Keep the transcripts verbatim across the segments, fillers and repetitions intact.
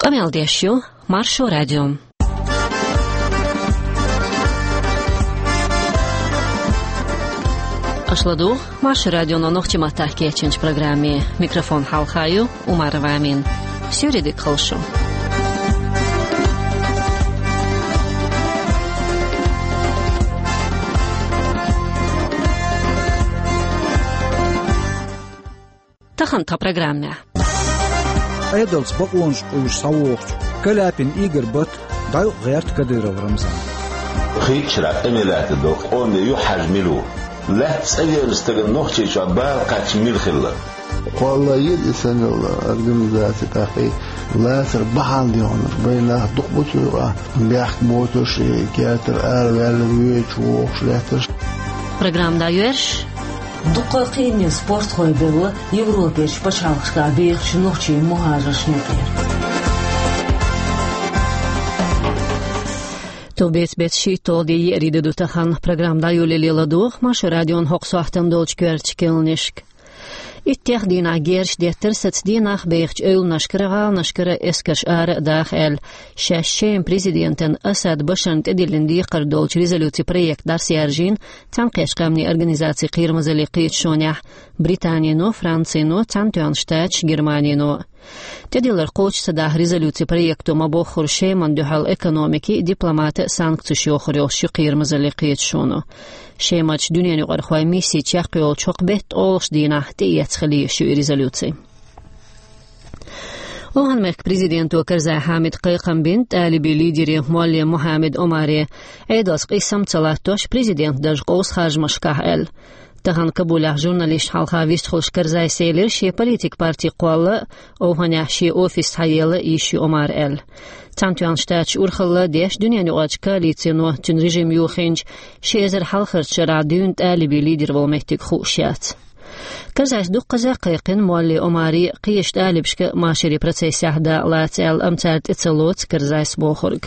Къамел деш ю Маршо радио. Аша ладугӀу Маршо радионо нохчийн маттахь кечйинчу программе. Микрофон хьалха ю Умарова Амина. Суьйре дика хуьлда шу. Тахана тхан программехь. Ӏедалца бакъонаш къуьйсуш схьавогӀучу Каляпин Игорь бат дӀаюкъ гӀерта Кадыров Рамзан. Хийцачарах къамел лаьттар долу къоме юхахьаьжна мила ву? Лаьтта цӀа веана стагана Нохчийчохь бала кхаьчна мила хилла? Кхолла еза и санна йолу организаци тӀаккха и лацар бахьана дехьа, бай нах дукха бу цу юкъахь, бехк боцуш, и кертара араваьлла воьдуш, вогӀуш лаьтташ. Программа дӀайоьрзуш. Дуккха а кхиамийн спортхой белла Европерчу пачхьалкхашкахь бехачу нохчийн мухӀажаршна юкъара. Товбеца беттан шийтталгӀа де, еарин де ду тахана. Программа дӀайолале ладогӀа Маршо радион хӀокху сохьтана долчу коьртачу керланашка. Иттех дийнахь герзаш деттара саца дийнахь бехачу эвланашкара, гӀаланашкара эскарш ара а даха аьлла, шаьш Шеман президентан Асад Башарна тӀедиллина декхар долчу резолюцин проект дӀасаяьржина Цхьаьнакхеттачу Къаьмнийн Организацин кхерамазаллин кхеташонехь Британино, Францино, Цхьаьнатоьхначу Штаташа, Германино. ТӀедиллар кхочуш ца даха резолюцин проекто ма-боххура Шемана дуьхьал экономикин а, дипломатан а санкцеш йохур йолуш ю кхерамазаллин кхеташоно. Шемарчу дуьненаюкъархойн мисси чекхйолучу хӀокху беттан ткъолгӀачу дийнахь тӀеэцна хила езаш ю и резолюци. ОвхӀан-мехкан президенто Карзай Хьамида кхайкхам бина тӀалибийн лидере Молле Мухьаммед Омаре, Ӏедалца къийсам ца латтош, президентан дарж къовса харжамашкахь аьлла. Тахана Кабулехь журналисташна хьалха вистхуьлуш Карзайс элира, шен политикан парти кхолла а, ОвхӀанехь шен офис схьаелла а йиш ю Омаран аьлла. Цхьаьнатоьхначу Штаташа урхалла а деш, дуьненаюкъарчу коалицино цуьнан режим юхийначу ши эзар хьалхарчу шарахь дуьйна тӀалибийн лидер волу меттиг хууш яц. Карзайс дуккхаза а кхайкхина Молле Омаре кхечу тӀалибашка машарийн процессехь дакъа лаца аьлла, амма цара тӀе ца лоцу Карзайс бохург.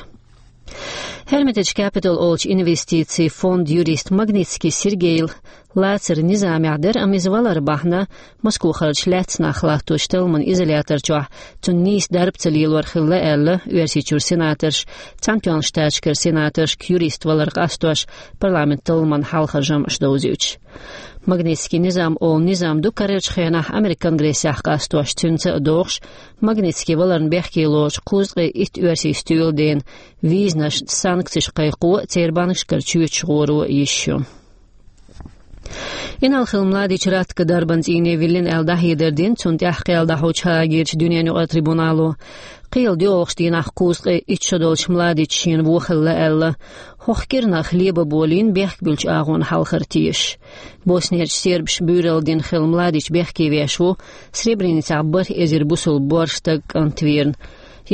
Hermitage Capital олучу инвестицийн фондан юриста Магнитский Сергейла лацар низамехь дара, амма иза валар бахьана Москвахарчу лаьцна нах латточу талламан изолятор чохь цунна нийса дарба ца лелор хилла аьлла, Оьрсийчуьра сенаторша, Цхьаьнатоьхначу Штаташкара сенаторшка юрист валар къастош, парламентан талламан хьалхара жамӀаш довзуьйтуш. Магнитский низам олу низам ду карарчу хенахь Американ Конгрессехь къастош, цуьнца а догӀуш, Магнитский валарна бехке лоцучу кхузткъе итт оьрсийн стоьладена визанашна санкцеш кхайкхо а, церан банкашкара чоьташ гӀоро а йиш ю. Инарла-Хилла Младич Ратко дарбан цӀийне виллина аьлла дӀахьедар дина, цунна тӀаьхьа кхел дӀахьочу Гаагерчу дуьненаюкъарчу трибунало. Кхелан доьалгӀачу дийнахь кхузткъе итт шо долчу Младич шена вон хилла аьлла, хӀокху кӀирнах лебан болийна бехк буьллучу агӀонна хьалхара тешаш. Боснерчу сербаша буьйралла дина хилла Младич бехке веш ву Сребреницехь бархӀ эзар бусалба боьрша стаг, кӀант верна.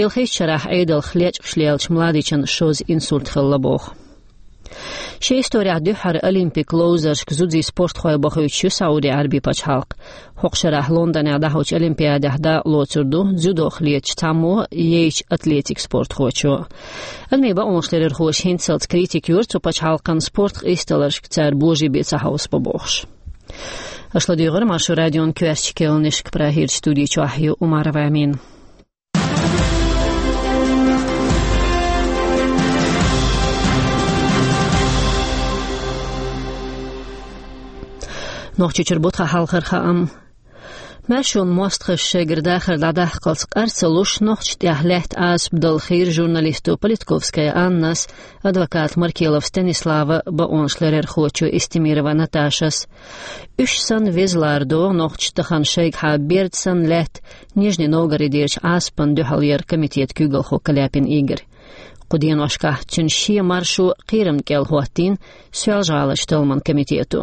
Ялхитта шарахь Ӏедалх лечкъаш леллачу Младичан шозза инсульт хилла боху. Шен исторехь дуьххьара олимпик ловзаршка зудзийн спортхой бахуьйтуш ю Сауди-Ӏаьрбийн пачхьалкх. ХӀокху шарахь Лондонехь дӀахьочу Олимпиадехь дакъа лоцур ду дзюдох летачу цхьаммо а, йайчу атлетикан спортхочо а. Адамийн бакъонашларъярхоша хӀинццалц критика йора цу пачхьалкхан спорт къийсадаларшка цара божарий бен ца хьовсабан бохуш. Аша ладуьйгӀира Маршо радион коьртачу керланашка, Прагерчу студи чохь ю Умарова Амина. Нохчийчуьра бу тхан хьалхара хаам. Маьршонан мостагӀаша шайгара дахар дӀадаккхалц къар ца луш, нохчашна тӀехь лаьтта Ӏазап дала хийра журналисто Политковская Аннас, адвоката Маркелов Станислава, бакъонашларъярхочо Эстемирова Наташас. Уьш санна веза ларадогӀу нохчаша тахана шайгахьа берда санна лаьтта Нижний Новгородерчу Ӏазапана дуьхьал яран комитетан куьйгалхо Каляпин Игорь. Кху деношкахь цуьнан шен маршо кхерамна кӀел хӀоттийна Соьлжа-ГӀаларчу талламан комитето.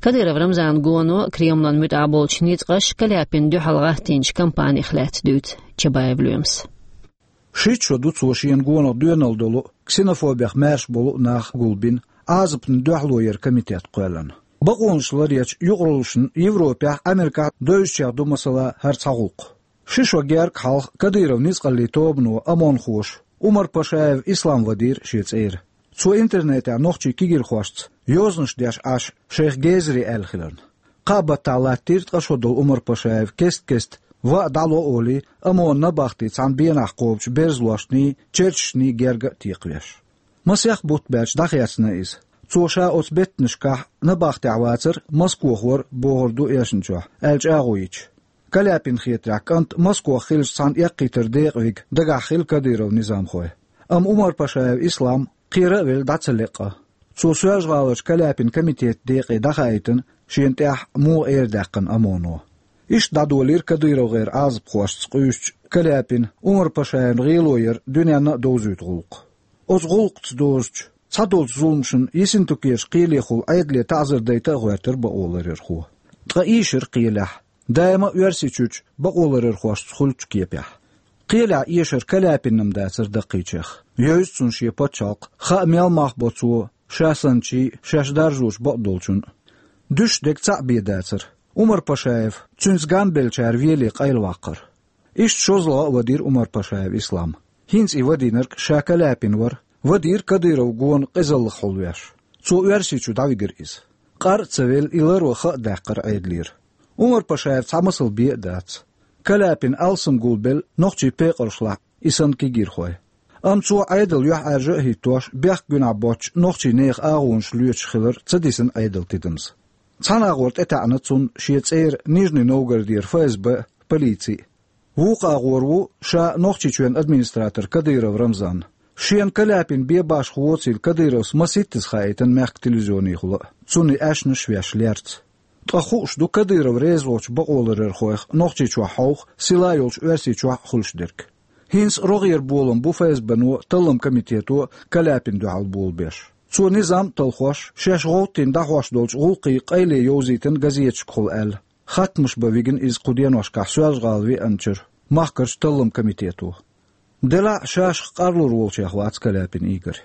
Кадыров Рамзанан гоно а, Кремлан муьтӀахь болчу ницкъаша Каляпинна дуьхьал гӀаттийначу кампанех лаьцна дуьйцу Чабаев Лоьмас. Шийтта шо ду цо шена гонах доьналла долу, ксенофобех маьрша болу а нах гулбина, Ӏазапна дуьхьало яран комитет кхоьллина. Бакъонашларъярчу юкъараллашна Европехь а, Америкехь а девзачех ду, масала, хӀара цхьа гӀуллакх. Ши шо гергга хьалха Кадыровн ницкъаллийн тобано, ОМОНхоша, Умар Пашаев Ислам вадийра шен цӀера. Цо интернетехь нохчийн кегийрхошца йозанаш деш Ӏаш, шайх гезаре аьлла хиларна. Кхаа баттахь латтийра ткъа шо долу Умар Пашаев кест-кеста Ва а дӀало олий, ОМОН набахти цхьана бенахь кхобучу берзалошний, черташний герга а текхавеш. Масех бутт баьлча дӀахецна иза. Цо ша оцу беттанашкахь набахтехь вацара, Москохора бохур ду эшначохь, аьлла чӀагӀо йича. Каляпина хетарехь, кӀант Москох хиллачу цхьана эккхийтар декъавиг дагахь хилла Кадыровн низамхой. Амма Умар-Пашаев Ислам кхера а велла дӀа ца леа. Цо Соьлжа-ГӀаларчу Каляпин комитетан декъе дӀахаийтина шена тӀехь муха эр даьккхина ОМОНо. Иштта дӀадолийра КадыровгӀеран Ӏазапхошца къуьйсучу Каляпина Умар-Пашаевн гӀело яр дуьненна а довзуьйту гӀуллакх. Оцу гӀуллакхца дозучу, цхьадолчу зуламашна Ессентукерчу кхелехула Ӏедале таӀзар дайта а гӀоьртира бакъоларъярхо. Ткъа ийшира кхелехь, даима а Оьрсийчуьрчу бакъоларъярхошца хуьлучу кепехь. Кхелехь эшар Каляпинна-м дацара даккхийчех. Йовза цунна шен пачхьалкх, хаа мел мах бо цо, ша санначий, шаьш даржочу бакъдолчунна. Дуьсуш дерг цхьаъ бен дацара. Умар-Пашаев цуьнца гамбеллачара веле къайлаваккхара. Иштта шозлагӀа а вадийра Умар-Пашаев Ислам. ХӀинца и вадийнарг ша Каляпин вара, вадийра Кадыров гонаха къизаллах хьулвеш. Цо Оьрсийчу дӀавигира иза. Къар а ца велла, и ларван хаа даьккхира Ӏедалера. Умар-Пашаев цхьа масал бен а дац. Каляпин алсам гулбелла нохчийн пекъаршлахь и санна кегийрхой. Амма цо Ӏедал юьхьӀаьржа а хӀиттош, бехк гуьнахь боцчу нохчийн нехан агӀонаш лоьцуш хилар ца дисина Ӏедалан тидамца. Цхьана агӀор тӀетаьӀна цунна шен цӀера Нижний Новгородера ФСБ а, полици а. Вукху агӀор ву ша Нохчийчоьнан администратор Кадыров Рамзан. Шена Каляпин бен башха воцийла Кадыровс масийттаза хаийтина мехкан телевизионехула а, цунна и аьшнаш веш лерца. Ткъа хууш ду Кадыров реза волчу бакъоларъярхойх Нохчийчохь хьовха, сила йолчу Оьрсийчохь а хуьлуш дерг. ХӀинца рогӀера болам бу ФСБ-но, талламан комитето Каляпина дуьхьал болабеш. Цо низам а талхош, шаьш гӀовттийна дӀахьош долчу гӀуллакхийн къайле йовзийтина газеташкахула аьлла, хаттамаш бан вигна иза кху деношкахь Соьлжа-ГӀала веанчуьра махкарчу талламан комитето. Делахь а шашах къарлур волчех вац Каляпин Игорь.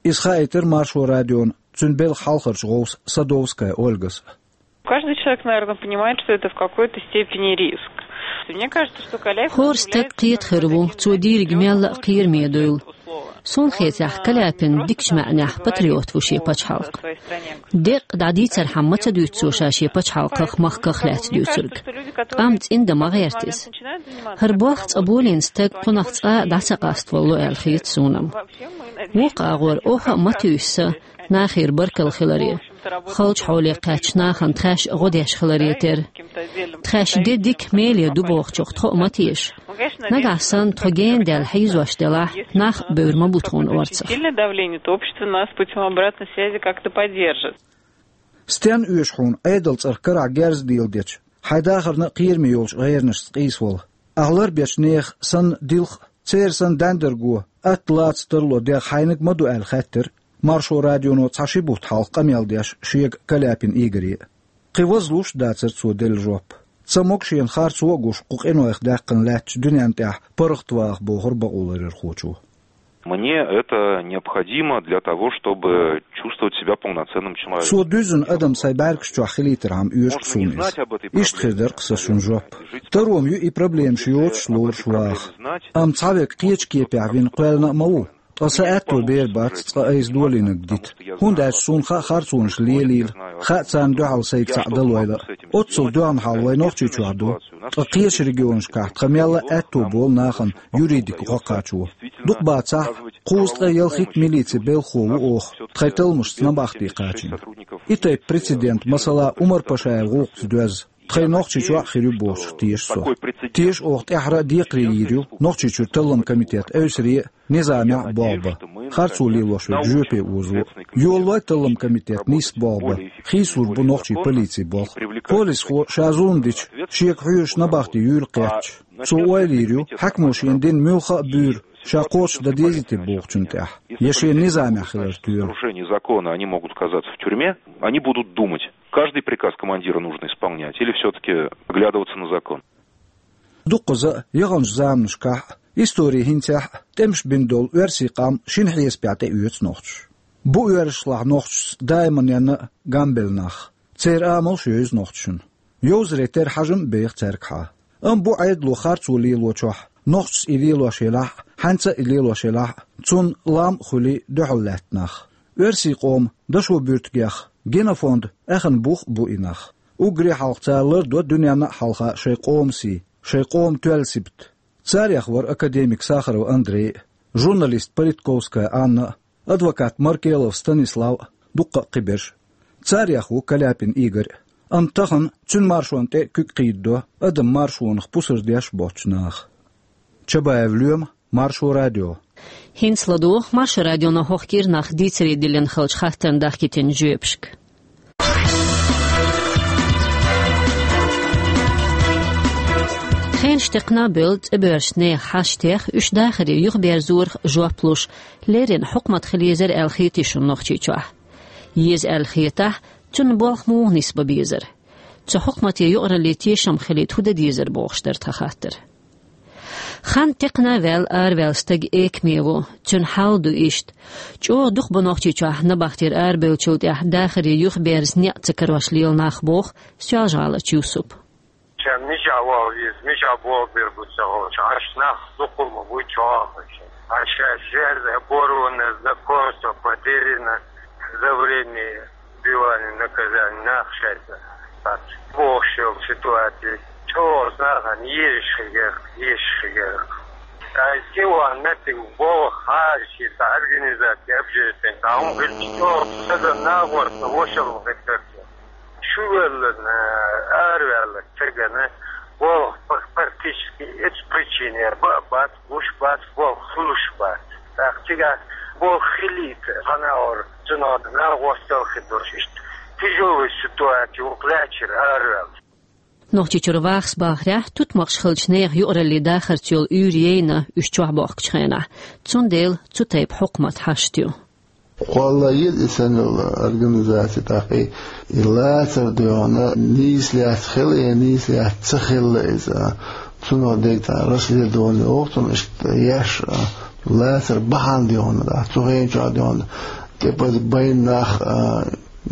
Иза хаийтира Маршо радиона цуьнан белхан хьалхарчу гӀовса Садовская Ольгас а. Каждый человек, наверное, понимает, что это в какой-то степени риск. Мне кажется, что Каляпин... ХӀора стаг кхета хир ву, цо дийриг мелла а кхераме дуйла. Суна хетарехь, Каляпин дикачу маьӀнехь патриот ву шен пачхьалкхан. Деккъа дӀадийцархьама ма ца дуьйцу цо ша шен пачхьалкхах, махках лаьцна дуьйцург. Амма цӀиндан ма гӀерта иза. ХӀара бохк цкъа болийна стаг кхунах цкъа а дӀа ца къаставало аьлла хета суна-м. Вукху агӀор оха а ма туьйсу сан нахера баркалла хиларе, халчу хьоле кхаьчначу нахана тхаьш гӀо деш хиларе терра. Тхаьш де дика меле ду бохучух тхо а ма теша. Нагахь санна тхо гена даьлла хьийзош делахь, нах а бевр ма бу тхуна орцах. Сильное давление, то общество нас путём обратной связи как-то поддержит. Стенна оьшу хьуна Ӏедалан цӀарах карахь герз а леладечу, хьайн дахарна а кхераме йолчу гӀеранашца къийсавала? Ахь ларбечу нехан санна дилха а, церан санна даьндарго, атта лаца тарло дегӀ хьайниг ма ду аьлла хаьттира Маршо радионо цхьа ши бутт хьалха къамел деш шега Каляпин Игоре а. Кхин вазлуш а дацара цо делла жоп. Ца могу шена харцо а гуш, кху къинойх даьккхина лаьттачу дуьненна тӀехь паргӀатваха, бохура бакъоларъярхочо. Мне это необходимо для того, чтобы чувствовать себя полноценным человеком. Со дуьззина адам сайн бӀаьргаш чохь хилийтархьама оьшу-кх суна иза. Иштта хир дара-кх сан шун жоп. Таро-м ю и проблемаш йоцуш лоруш ваха. Амма цхьаверг кхечу кепехь вина кхоьллина а ма ву. Ткъа сан аьтто бер бац цкъа айса долийнарг дита, хӀунда аьлча суна хаьа харцонаш лелийла, хаьа царна дуьхьал сайга цхьаъ далойла а. Оццул доьгӀна хьал вайн Нохчийчохь ду, ткъа кхечу регионашкахь тхан мелла а аьтто болу нахана юридика гӀо кхачо. Дукха бацахь а, кхузткъе ялхитта милицин белхахо ву оха, тхайн талламашца набахти кхачийна. И тайпа прецедент, масала, Умар-Пашаевн гӀуллакхца доьзна тхайн Нохчийчохь а хир ю бохучух теша со. Теша оха тӀаьххьара а декхаре йийр ю Нохчийчуьра талламан комитет эвсаре а, низамехь а болх бан, харцо лелош верг жоьпе озо. Йолалой талламан комитет нийсса болх бан, хийцалур бу нохчийн полицин болх. Полисхо ша зулам дича, шега хьоьжуш набахти юйла кхетча, цо ойла йийр ю, хьаькамо шена дина муьлхха а буьйр ша кхочушдан дезий те бохучунна тӀехь, я шена низамехь хилар тоьлу. Нарушение закона, они могут оказаться в тюрьме, они будут думать, каждый приказ командира нужно исполнять или всё-таки оглядываться на закон. Дуккхаза а, яханчу заманашкахь а, историн хӀинцехь а тӀемаш бина долу оьрсийн къам шина хьесапехь тӀеоьцу нохчаша. Бу оьрсашлахь нохчашца даиманна а гамбелла нах. Церан амалш а евза нохчашна. Йовзаре терра хьажам а беха цаьргахьа. Амма бу Ӏедало харцо лелочохь, нохчаша и лелош елахь а, хьаьнца а и лелош елахь а, цунна лам а хуьлий дуьхьал лаьтта нах. Оьрсийн къоман дашо буьртигех, генофонд аьхна бух а бу и нах. Уггаре хьалха цара лардо дуьненна а хьалха шайн къоман сий. шайн къоман тоьлла сибат. Царех вара академик Сахаров Андрей, журналист Политковская Анна, адвокат Маркелов Станислав, дуккха а кхиберш. Царех ву Каляпин Игорь. Амма тахан цуьнан маршонна тӀе куьг кхийдадо адам маршонах пусар деш боцчу наха. Чабаев Лоьма, Маршо радио. ХӀинца ладугӀу Маршо радионо хӀокху кӀирнах дийцаре диллина хиллачу хаттарна дахкийтина жоьпашка. Хенаш текхна а бевлла, цӀа боьрзучу нехан хьашт тех, уьш дахаре юхаберзорах жоп луш, леррина хьукмат хила езара аьлла хетий шуна Нохчийчохь? Еза аьлла хетахь, цунна болх муха нисбан безара? Цу хьукмате юкъаралле тешам хилийта хӀун дан дезара бохуш дара тхан хаттар. Хан текхна а ваьлла, араваьлла стаг экаме ву, цуьнан хьал а ду иштта. ЧӀогӀа дукха бу Нохчийчохь набахтера арабевллачул тӀаьхьа дахаре юхаберза некъ ца карош лела нах, боху Соьлжа-ГӀаларчу Юсупа. Ша мичахь ваха веза, мичахь болх бер бу ца хууш, хьаша нах дукха ма бу чохь. Хьаша жерз оборванное знакомство потеряно за время отбывания наказания нах шайца. Бохуш йолу ситуаци чӀогӀа нахана езаш хилира, езаш хилира. Ай, кхин ван меттиг болх хьажа шен цхьа организация, общественный, цхьа хӀума хилча, чӀогӀа стагана нахорца вошалла хир дара. Чувелларна, араваьллачу стагана болх пр-, практически эцу причинера бан а бац, гуш бац, болх хуьлуш бац. ТӀаккха цигахь болх хилийта, хьан а ора, цунах нах гӀосталла хир долуш иштта тяжелая ситуация ву-кх лаьттара араваьлла. Нохчийчуьра вахас бахарехь, тутмакхаш хиллачу нехан юкъаралле дахарца йолу уьйр яйна уьш чохь бохкучу хенахь. Цундела цу тайпа хьукмат хьашт ю. Кхолла еза и санна йолу организаци, тӀаккха и лацар доьгӀна нийса лаьцна хилла я нийса лаьцна ца хилла иза. Цунах дерг цхьа расследование воху цунна иштта еш, а, лацар бахьана доьгӀна, а, цу хенчохь доьгӀна. ТӀепаза байна нах, а,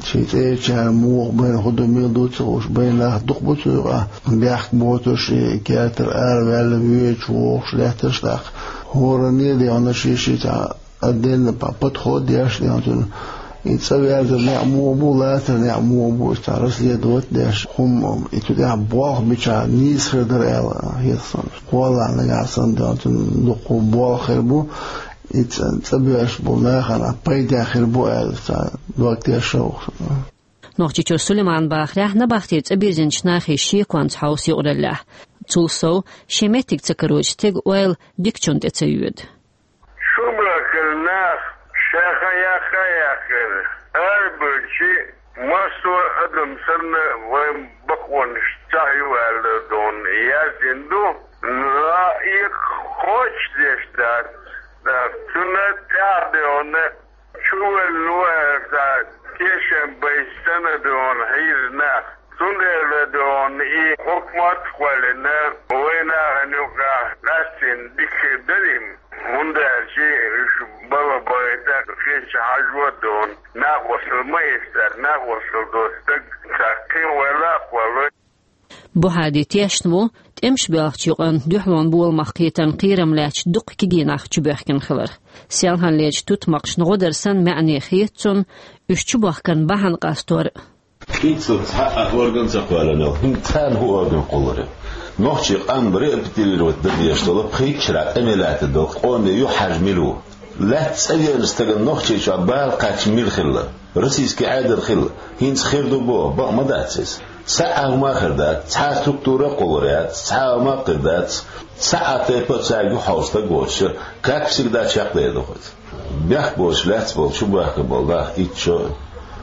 шайн цӀерачара муха байна, хӀун ду, мила ду ца хууш, байна нах дукха бу цу юкъахь, бехк боцуш, и кертара араваьлла воьдуш, вогӀуш лаьтташ тӀаккха. ХӀоранна а доьгӀна шен-шен цхьа отдельно по-, подход деш, доьгӀна цунна. И цӀа верзар некъ муха бу, лацар некъ муха бу, иза цхьа расследовать деш, хӀума, и цу тӀехь болх бича нийса хир дара аьлла хета суна. Кхоллахь нагахь санна, доьгӀна цунна дуккха болх хир бу, и цӀа, цӀа боьрзуш болу нахана пайда хир бу аьлла, цхьа дог тешна ву-кх. Нохчийчуьра Сулайман бахарехь, набахте цӀа бирзинчу нахе шеконца хьовса юкъараллехь. Цул сов, шен меттиг ца карочу стеган ойла дикачунна тӀе ца йоьду. Шу бахкал нах ша хан яккха а яьккхина, арабевлчи массо а адам санна вайн бакъонаш цхьаъ ю аьлла доьгӀна яздина ду, но и кхочушдеш дац, цунна тӀаьхьа доьгӀна чувелла ву аьлла, тешам байча санна доьгӀна хьийза нах. Цундела доьгӀна и хьукмат а кхоьллина, вайн нахана юкъахь къаьстина дика хир дара и, хӀунда аьлча уьш балха бахийта кхечу хьажо а доьгӀна, накъосталла ма эцара, накъосталла доцу стаг цхьа кхин ваьлла а кхоллой. Бухьади тешна ву, тӀемаш боьлхучу юкъанна дуьхьалонан боламах кхетарна кхерам лаьцначу дуккха кегий нах чубоьхкина хиларх. Селханлерчу тутмакхашна гӀо дар санна маьӀне хета цунна уьш чубохкарна бахьана къастор а. КӀинцара цхьа а орган ца кхоьллина, хӀинца царна хӀун орган кхуллур ю? Нохчийн къам репатриировать дан дезаш долу, пхийтта шарахь тӀаме лаьттина долу къоме юьхьӀаьржа мила ву? Лаьцна цӀа веанчу стагана Нохчийчохь бала кхаьчна мила хилла? Российский Ӏедал хилла? ХӀинца хир ду боху, бакъ ма дац иза. Цхьа а хӀума а хир дац, цхьа а структура а кхуллур яц, цхьа а хӀума а хир дац, цхьа а тайпа а цаьрга юххьал стаг воцуш, как всегда, чекхдер ду хӀинца. Бехк боцуш лаьцна болу, чубоьхкина болу нах итт шо,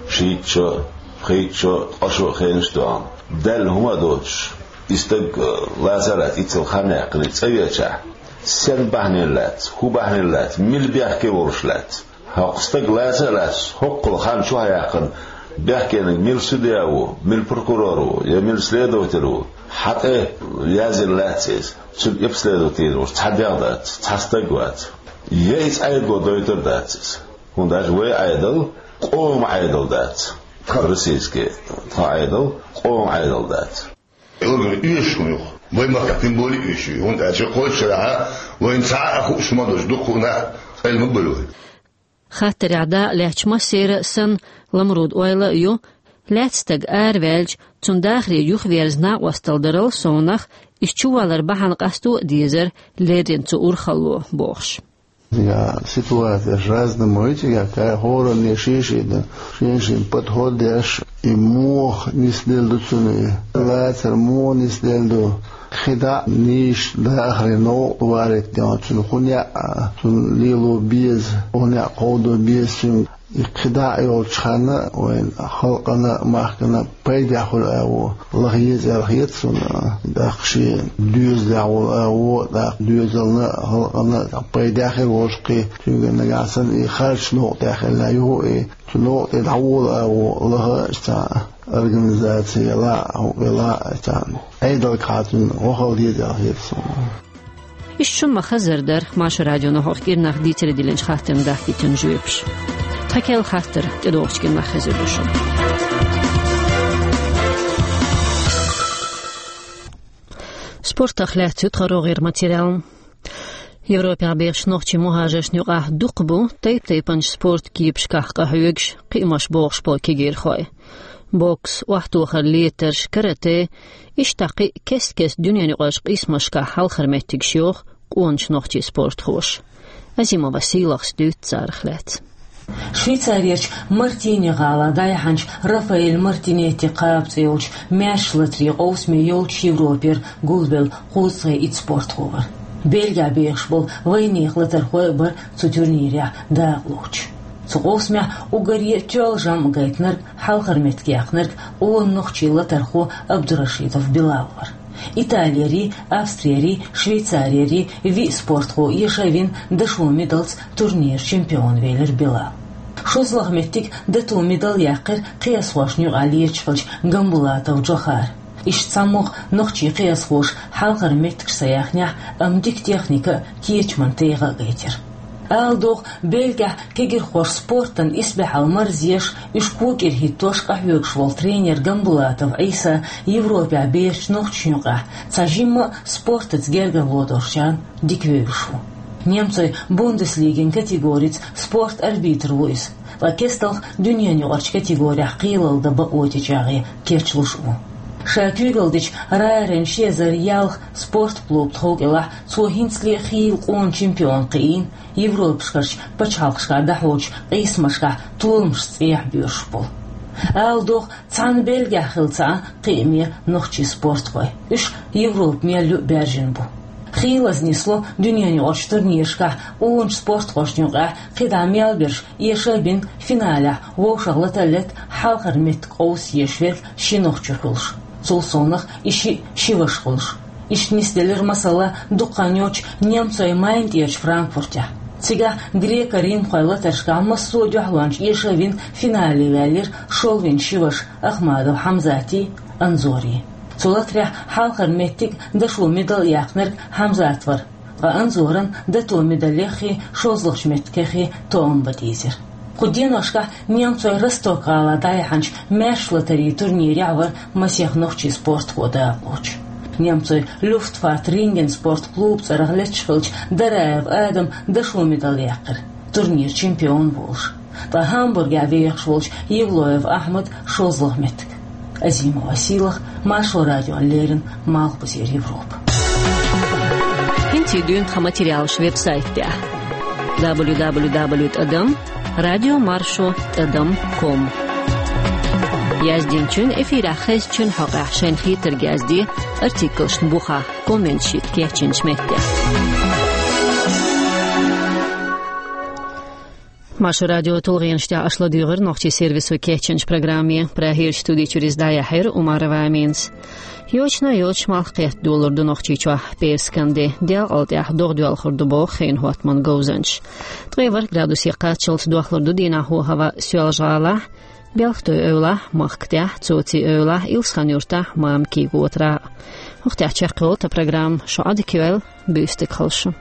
шийтта шо, пхийтта шо, ткъа шо хенаш а тоьхна. Даьлла хӀума а доцуш, и стаг, э, лаца а лаьцна, иццал хан яьккхина, цӀа веачахь, сен бахьанийна лаьцна, хӀун бахьанийна лаьцна, мила бехке волуш лаьцна? ХӀокху стаг лаца а лаьцна, хӀокхул хан чохь яьккхина, бехкениг мила судья ву, мила прокурор ву, я мила следователь ву, хьан тӀе язйина лаьцна иза? Цуьнан обследовать йина волуш цхьа дегӀ дац, цхьа стаг вац. Я иза Ӏедало дойтур а дац иза. ХӀунда аьлча вай Ӏедал къоман Ӏедал дац. Российский тхан Ӏедал къоман Ӏедал дац. Орган оьшуш хӀума ю-кх. Вайн махкахь тем более оьшуш ю. ХӀунда аьлча кхочушшарахь вайна цхьа а хууш хӀума долуш дуккха а нах къайла ма бара вай. Хаттарехь дакъа лаьттачу массеран а санна, Ламрудан ойла а ю, лаьцна стаг араваьлча, цунна дахаре юхаверза накъосталла дарал совнах Иза чувалар бахьана къасто а дезар леррина цу урхалло, бохуш. Я ситуацияш разный ма ю, цигахь кхай хӀоранне шен-шен дан, шен-шен подход деш, и муха нисделла ду цуьнан, и лацар муха нисделла ду. КхидӀа а нийса дахаре новкъа варит дегӀан цуьнан хӀун яа, цуьнан лело беза, хӀун яа кховдо беза цуьнан. И кхидӀа а йолчу ханна вайн халкъана а, махкана а пайдехь хуьлу агӀо лаха еза аьлла хета суна, тӀаккха шен доьзалехь волу агӀо, тӀаккха доьзална а, халкъана а пайдехь хир волуш кхин, цуьнга нагахь санна и харц новкъа тӀехь хилла юху и, цу новкъа тӀе дӀаволу агӀо лаха а цхьа организаци елахь а, хӀуъа елахь а цхьа Ӏедалгахь цуьнан вахал деза аьлла хета суна. Иштта шуна ма-хаззара дара Маршо радионо хӀокху кӀирнах дийцаре диллинчу хаттарна дахкийтина жоьпаш. Тхан керла хаттар тӀедогӀучу кӀирнах хезар ду шуна. Спортах лаьцна ю тхан рогӀера материал. Европехь бехачу нохчийн мухӀажаршна юкъахь дукха бу тайп-тайпанчу спорт кепашкахь къахьоьгуш, кхиамаш бохуш болу кегийрхой. Бокс, охьатохар летарш, карате, иштта кхин а кест-кеста дуьненаюкъарчу къийсамашкахь хьалхара меттигаш йоху къоначу нохчийн спортхоша. Азимова Сийлахьас дуьйцу царах лаьцна. Швейцарерчу Мартини гӀалахь дӀаяьхьначу Рафаэль Мартинетти кхаба цӀе йолчу маьрша латарийн къовсаме йолчу Европера гулбелла кхузткъе итт спортхо вара. Бельгехь бехаш болу вайнехан латархой а бара цу турнирехь дакъалоцуш. Цу къовсамехь уггаре тоьлла жамӀ гайтинарг хьалхара меттиг яьккхинарг къона нохчийн латархо Абдурашидов Билал вара. Италиярий, Австриярий, Швейцариярий виъ спортхо эша а вина, дашо медалца турниран чемпион велира Билал. ШозлагӀа меттиг дато медаль яьккхира кхиазхошна юкъахь леташ хиллачу Гамбулатов Джохара. Иштта цхьамогӀа нохчийн кхиазхоша хьалхара меттигаш ца яьхнехь, амма дика техника а, кечаман тӀегӀа а гайтира. Ала догӀу, Бельгехь кегийрхоша спортана исбаьхьалла марзъеш, уьш кокӀира хӀиттош къахьоьгуш волу тренер Гамбулатов Ӏийса Европехь бехачу нохчашна юкъахь цхьа жимма а спортаца гергарло долчарна дика вевзаш ву. Немцойн Бундеслигин категорица спорт арбитр ву иза, ткъа кестта дуьненаюкъарчу категорехь кхелалла дан бакъо тӀечӀагӀъе кечлуш а ву. Ша куьйгалла дечу Райеран ши эзар ялх спорт клуб тхов кӀелахь цо хӀинцале хийла къона чемпион кхиийна, Европашкарчу пачхьалкхашкахь дӀахьочу къийсамашкахь толамашца цӀехьа боьрзуш болу. Ала догӀу, цхьана Бельгехь хилла ца Ӏа кхиаме нохчийн спортхой. Уьш Европа мел ю а баьржина бу. Хийлаза нисло дуьненаюкъарчу турнирашкахь къоначу спортхошна юкъахь кхидӀа мел берш эша а бина, финалехь вовшах латаллет хьалхара меттиг къовса езаш верг ши нохчо хуьлуш. Цул совнаха и шиъ ши ваша хуьлуш. Иштта нисделира, масала, дукха хан йоццуш немцойн Майнтера Франкфуртехь. Цигахь греко-римхойн латаршкахь массо а дуьхьалончу эша а вина, финале ваьллира шолгӀа ши ваша Ахмадов Хьамзатий, Анзорий. Цу латарехь хьалхара меттиг, дашо медаль яьккхинарг Хьамзат вара. Ткъа Анзоран дато медалеххий, шозлагӀчу меттигеххий тоам бан дийзира. Кху деношкахь немцойн Росток-гӀалахь дӀаяьхьначу маьрша латарийн турнирехь вара масех нохчийн спортхо дакъалоцуш. Немцойн Люфтваффе Ринген спорт клуб цӀарах летташ хиллачу Дараев Адама дашо медаль яьккхира, турниран чемпион волуш. Ткъа Гамбургехь вехаш волчу Евлоев Ахьмада шозлагӀа меттиг. Азимова Сийлахь, Маршо радиона леррина, Малхбузера Европа. ХӀинца дуьйна тхан материалаш веб-сайтехь: дабл ю дабл ю дабл ю тӀадам радио маршо тӀадам ком. Яздинчун, эфирехь хезначун хьокъехь шайна хетарг язде артиклашна бухахь, комменташ йита кечйинчу меттехь. Маршо радион тулгӀенаш тӀехь аша ладуьйгӀира нохчийн сервисо кечйинчу программе. Прагерчу студи чуьра иза дӀаяьхьира Умарова Аминас. Йочана а йоцуш, малх кхетта долалур ду Нохчийчохь Пасхалан де. Делкъал тӀехь догӀа доьлхур ду боху хенан хӀоттаман говзанчаша. Ткъе ворхӀ градусе кхаччалц дохлур ду дийнахь хӀаваъ Соьлжа-ГӀалахь, Белхатуй-Эвлахь, Махкатехь, Цоци-Эвлахь, Илсхан-Юьртахь, Мамикий-Готарахь. ХӀокху тӀехь чекхйолу тхан программа. Шу Ӏодика йойла, буьйса дика хуьлда шун.